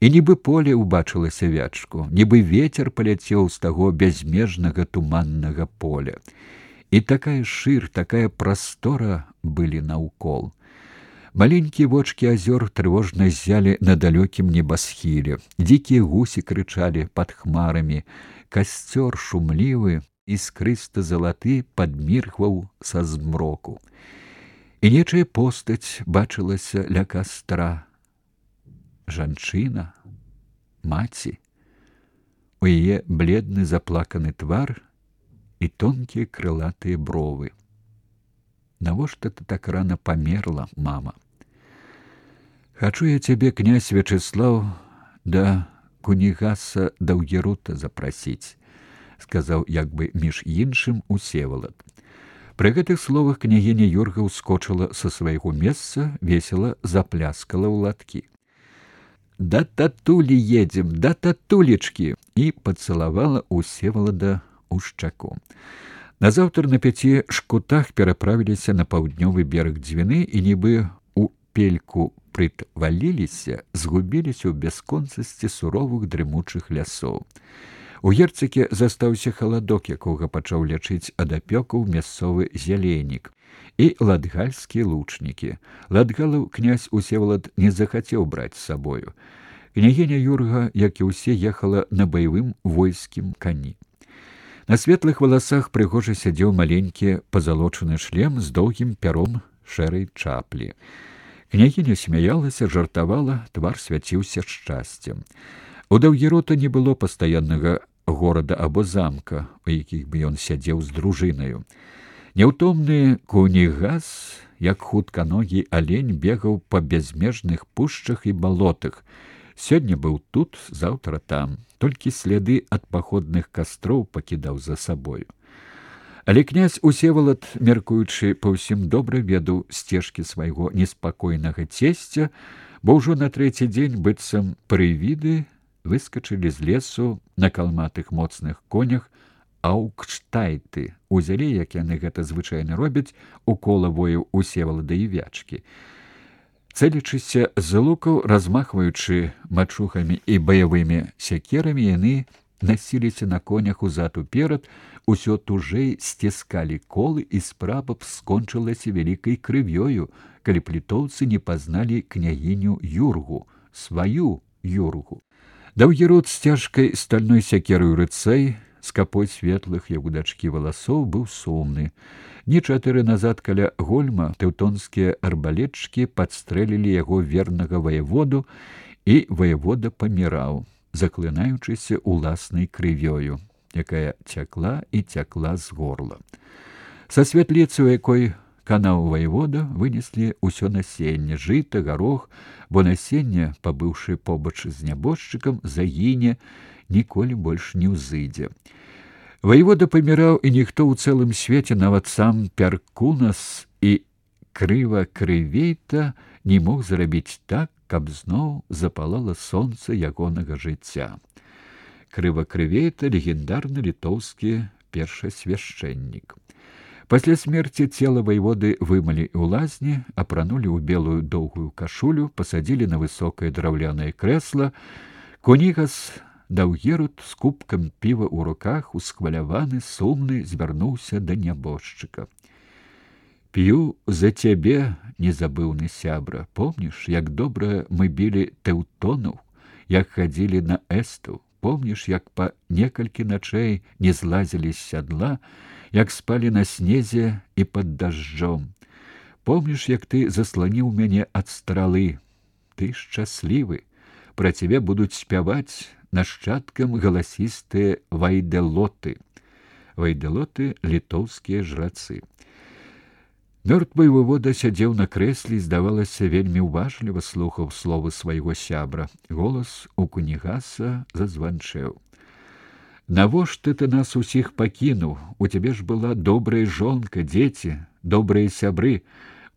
І нібы поле ўбачылася вячку, нібы ветер паляцеў з таго бязмежнага туманнага поля. І такая шыр, такая прастора былі наўкол. Маленькія вочкі азёр трывожна ззялі на далёкім небасхіле. Дзікія гусі крычалі пад хмарамі. Касцёр шумлівы, іскрыста-залаты падміргваў са змроку. І нечая постаць бачылася ля кастра. Жанчына, маці. У яе бледны заплаканы твар і тонкія крылатыя бровы. Навошта ты так рана памерла, мама? Хачу я цябе, князь Вячеслав, да кунігаса Даўгерута запрасіць, сказаў як бы між іншым Усевалад. Пры гэтых словах княгіня Юрга ўскочыла са свайго месца, весела запляскала ў ладкі. «Да татулі едзем, да татулечкі!» і пацалавала Усевалада ў шчаку. Назаўтра на 5 шкутах пераправіліся на паўднёвы бераг Двіны і нібы ў пельку прытваліліся, згубіліся ў бясконцасці суровых дрымучых лясоў. У Герцакі застаўся халадок, якога пачаў лячыць ад апёкаў мясцовы зяленік, і ладгальскія лучнікі. Ладгалаў князь Усевалад не захацеў браць з сабою. Княгіня Юрга, як і ўсе, ехала на баявым войскім кані. На светлых валасах прыгожа сядзеў маленькі пазалочаны шлем з доўгім пяром шэрай чаплі. Княгіня смяялася, жартавала, твар свяціўся шчасцем. У Даўгерута не было пастаяннага горада або замка, у якіх бы ён сядзеў з дружынаю. Няўтомны кунігас, як хутканогі алень, бегаў па бязмежных пушчах і балотах. Сёння быў тут, заўтра там, толькі сляды ад паходных кастроў пакідаў за сабою. Але князь Усевалад, меркуючы па ўсім, добра ведаў сцежкі свайго неспакойнага цесця, бо ўжо на 3-й дзень быццам прывіды выскачылі з лесу на калматых моцных конях аўкштайты, узялі, як яны гэта звычайна робяць, у кола вояў Усевалада і Вячкі. Цэлячыся з лукаў, размахваючы мачухамі і баявымі сякерамі, яны насіліся на конях узад уперад, усё тужэй сціскалі колы, і справа б скончылася вялікай крывёю, калі б літоўцы не пазналі княгіню Юргу, сваю Юргу. Даўгерут з цяжкай стальной сякерой рыцэй, з капой светлых, як у дачкі, валасоў, быў сумны. Дні 4 назад каля Гольма тэўтонскія арбалетчыкі падстрэлілі яго вернага ваяводу, і ваявода паміраў, заклынаючыся уласнай крывёю, якая цякла і цякла з горла. Са святліцы, у якой канаў ваявода, вынеслі ўсё насенне, жыта, гарох, бо насенне, пабыўшы побач з нябожчыкам, загіне, ніколі больш не ўзыдзе. Ваявода паміраў, і ніхто ў цэлым свеце, нават сам Перкунас і Крыва-Крывейта, не мог зрабіць так, каб зноў запалала сонца ягонага жыцця. Крыва-Крывейта — легендарны літоўскі першасвяшчэннік. Пасля смерці цела ваяводы вымалі ў лазні, апранулі ў белую доўгую кашулю, пасадзілі на высокае драўлянае крэсла. Кунігас Даўгерут з кубкам піва ў руках, усхваляваны, сумны, звярнуўся да нябожчыка. «П'ю за цябе, незабыўны сябра. Помніш, як добра мы білі тэўтонаў, як хадзілі на эстаў? Помніш, як па некалькі начэй не злазілі з сядла, як спалі на снезе і пад дажджом? Помніш, як ты засланіў мяне ад стралы? Ты шчаслівы. Пра цябе будуць спяваць нашчадкам галасістыя вайдэлоты». Вайдэлоты — літоўскія жрацы. Мёртвы вывода сядзеў на крэсле і, здавалася, вельмі ўважліва слухаў словы свайго сябра. Голас у кунігаса зазванчэў. «Навошта ты нас усіх пакінуў? У цябе ж была добрая жонка, дзеці, добрыя сябры.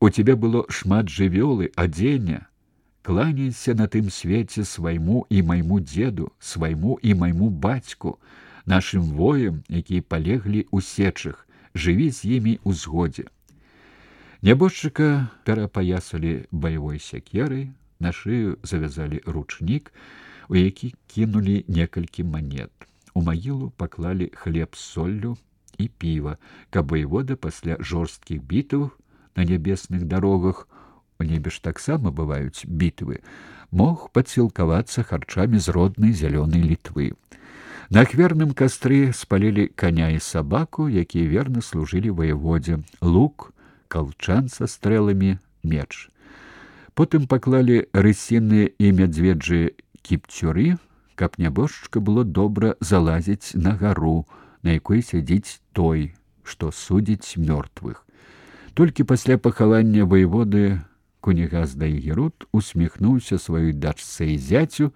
У цябе было шмат жывёлы, адзення. Кланяйся на тым свеце свайму і майму дзеду, свайму і майму бацьку, нашым воям, якія палеглі ў сечах. Жыві з імі ў згодзе». Нябожчыка перапаясалі баявой сякерай, на шыю завязалі ручнік. у які кінулі некалькі манет. У магілу паклалі хлеб з соллю і піва, каб воевода пасля жорсткіх бітаў на нябесных дарогах, у небе ж таксама бываюць бітвы, мог падсілкавацца харчамі з роднай зялёнай Літвы. На ахверным кастры спалілі каня і сабаку, якія верна служылі воеводзе, лук, калчан са стрэламі, меч. Потым паклалі рысіныя і мядзведжыя кіпцюры, каб нябожчыка было добра залазіць на гару, на якой сядзіць той, што судзіць мёртвых. Толькі пасля пахавання воеводы Кунігас Дайгерут усміхнуўся сваёй дачцэ і зяцю,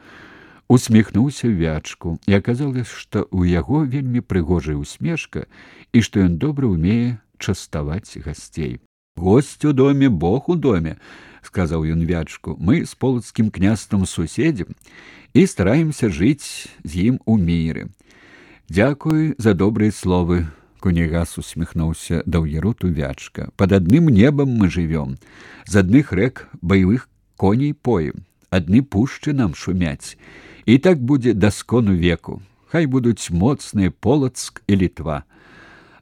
усміхнуўся Вячку, і аказалось, што ў яго вельмі прыгожая усмешка і што ён добра ўмее частаваць гасцей. «Госць у доме, Бог у доме», — сказаў ён Вячку. «Мы з полацкім княствам суседзям і стараемся жыць з ім у міры». «Дзякуй за добрыя словы», — Кунігас усміхнуўся Даўгеруту Вячка. «Пад адным небам мы жывём, з адных рэк баявых коней поем, адны пушчы нам шумяць. І так будзе да скону веку. Хай будуць моцныя Полацк і Літва.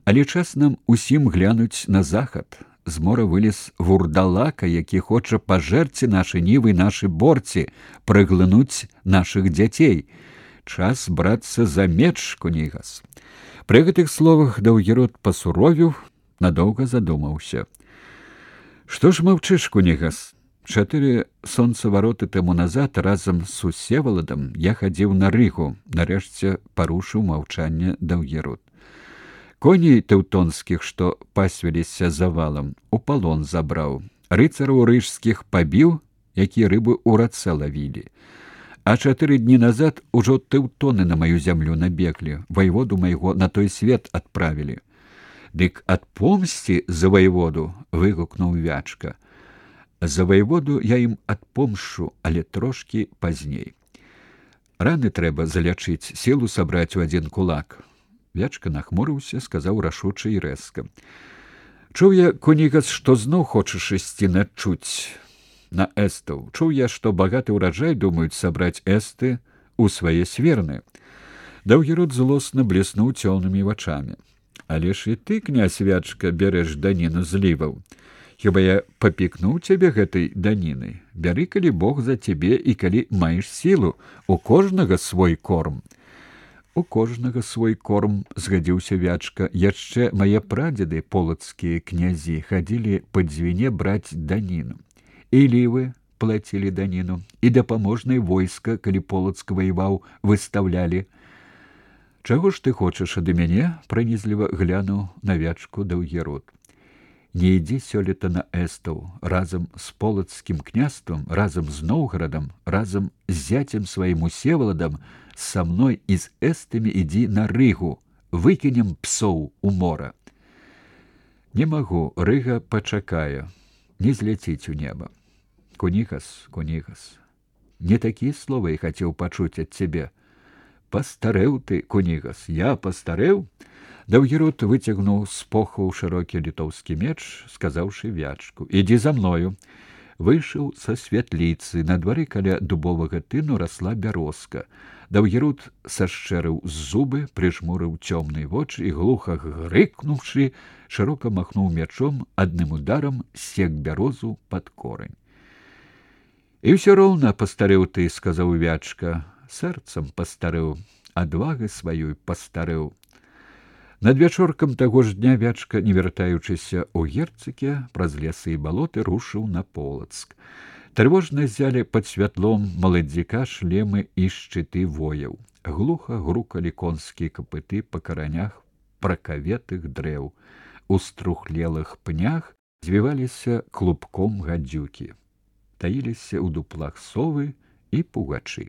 Але час нам усім глянуць на захад. З мора вылез вурдалака, які хоча пажэрці нашы нівы, нашы борці, праглынуць нашых дзяцей. Час брацца за меч, Кунігас». Пры гэтых словах Даўгерут пасуровіў, надоўга задумаўся. «Што ж маўчыш, Кунігас? 4 сонцавароты таму назад разам з Усеваладам я хадзіў на Рыгу», — нарэшце парушыў маўчанне Даўгерут. «Коней тэўтонскіх, што пасвіліся завалам, у палон забраў, рыцараў рыжскіх пабіў, якія рыбы ў рацэ лавілі. А 4 дні назад ужо тэўтоны на маю зямлю набеглі, ваеводу майго на той свет адправілі». «Дык адпомсці за ваеводу», — выгукнуў Вячка. «За ваеводу я ім адпомшчу, але трошкі пазней. Раны трэба залячыць, сілу сабраць у адзін кулак». Вячка нахмурыўся, сказаў рашуча і рэзка. «Чуў я, Кунігас, што зноў хочаш ісці начуць на эстаў. Чуў я, што багаты ўраджай думаюць сабраць эсты ў свае сверны». Даўгерут злосна блеснуў цёмнымі вачамі. «Але ж і ты, князь Вячка, бярэш даніну зліваў. Хіба я папікнуў цябе гэтай данінай? Бяры, калі Бог за цябе і калі маеш сілу, у кожнага свой корм». «У кожнага свой корм», — згадзіўся Вячка. «Яшчэ мае прадзеды, полацкія князі, хадзілі па дзвіне браць даніну. І лівы плацілі даніну, і дапаможнае войска, калі Полацк ваяваў, выстаўлялі». «Чаго ж ты хочаш ад мяне?» — пранізліва глянуў на Вячку Даўгерут. «Не ідзі сёлета на эстаў, разам з полацкім княствам, разам з Новгарадам, разам з зяцем сваім Усеваладам, са мной і з эстамі ідзі на Рыгу, выкінем псоў у мора». «Не магу, Рыга пачакае, не зляціць у неба». «Кунігас, Кунігас, не такія словы я хацеў пачуць ад цябе. Пастарэў ты, Кунігас, я пастарэў?» Даўгерут выцягнуў з похваў шырокі літоўскі меч, сказаўшы Вячку: «Ідзі за мною». Выйшаў са святліцы. На двары каля дубовага тыну расла бярозка. Даўгерут сашчэрыў зубы, прыжмурыў цёмныя вочы і, глуха грыкнуўшы, шырока махнуў мячом, адным ударам сек бярозу пад корань. «І ўсё роўна пастарэў ты», — сказаў Вячка. «Сэрцам пастарэў, адвагай сваёй пастарэў». Надвячоркам таго ж дня Вячка, не вяртаючыся ў Герцыке, праз лесы і балоты рушыў на Полацк. Трывожна ззялі пад святлом маладзіка шлемы і шчыты вояў. Глуха грукалі конскія капыты па каранях пракаветых дрэў. У струхлелых пнях звіваліся клубком гадзюкі. Таіліся ў дуплах совы і пугачы.